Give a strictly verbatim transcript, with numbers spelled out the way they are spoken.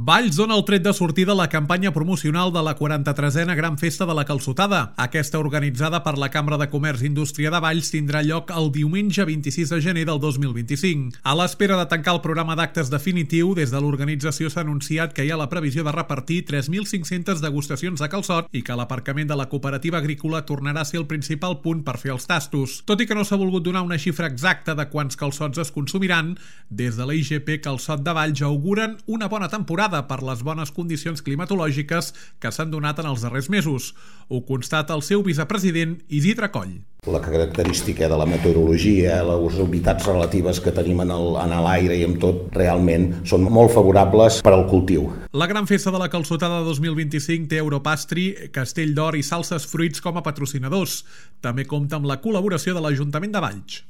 Valls dona el tret de sortida a la campanya promocional de la quaranta-tresena Gran Festa de la Calçotada. Aquesta, organitzada per la Cambra de Comerç i Indústria de Valls, tindrà lloc el diumenge vint-i-sis de gener del dos mil vint-i-cinc. A l'espera de tancar el programa d'actes definitiu, des de l'organització s'ha anunciat que hi ha la previsió de repartir tres mil cinc-centes degustacions de calçot i que l'aparcament de la cooperativa agrícola tornarà a ser el principal punt per fer els tastos. Tot i que no s'ha volgut donar una xifra exacta de quants calçots es consumiran, des de la I G P Calçot de Valls auguren una bona temporada per les bones condicions climatològiques que s'han donat en els darrers mesos. Ho constata el seu vicepresident Isidre Coll. La característica de la meteorologia, les humitats relatives que tenim en l'aire i en tot, realment són molt favorables per al cultiu. La Gran Festa de la Calçotada dos mil vint-i-cinc té Europastry, Castell d'Or i Salses Fruits com a patrocinadors. També compta amb la col·laboració de l'Ajuntament de Valls.